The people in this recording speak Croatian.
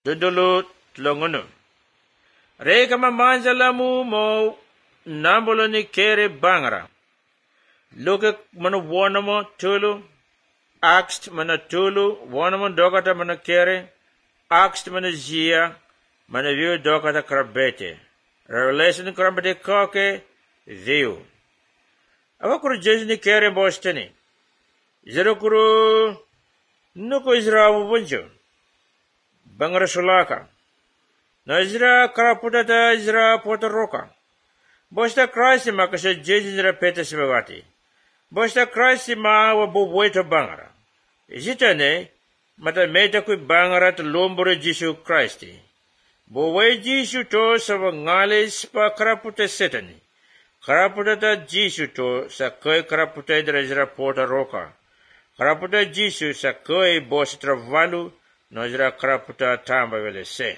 Dudulu tlongunu. Reka mamanjalamu mo nambolo ni kere bangara. Luke manu wanamo tulu. Axt mana tulu. Wanamo dokata mana kere. Axt mana zia. Mana view dokata krabete. Revelation krabete koke. View. Awakuru jesu ni kere bosteni. Zerokuru nuko Israel bunjo. Bangara sulaka. Na Israel karaputata Israel potoroka. Bosta Christ makasha jesu Israel peta simawati. Bosta Christ ma wa bubweto bangara. Zitane mata meta kui bangara to lombore Jesu Christi. Bubwe Jesu to sa ngale spa karaputa setani. Karaputata Jesu to sa koi karaputa Israel potoroka. Karaputa Jesu sa koi bosta travalu. Nojra karaputa tamba vele se.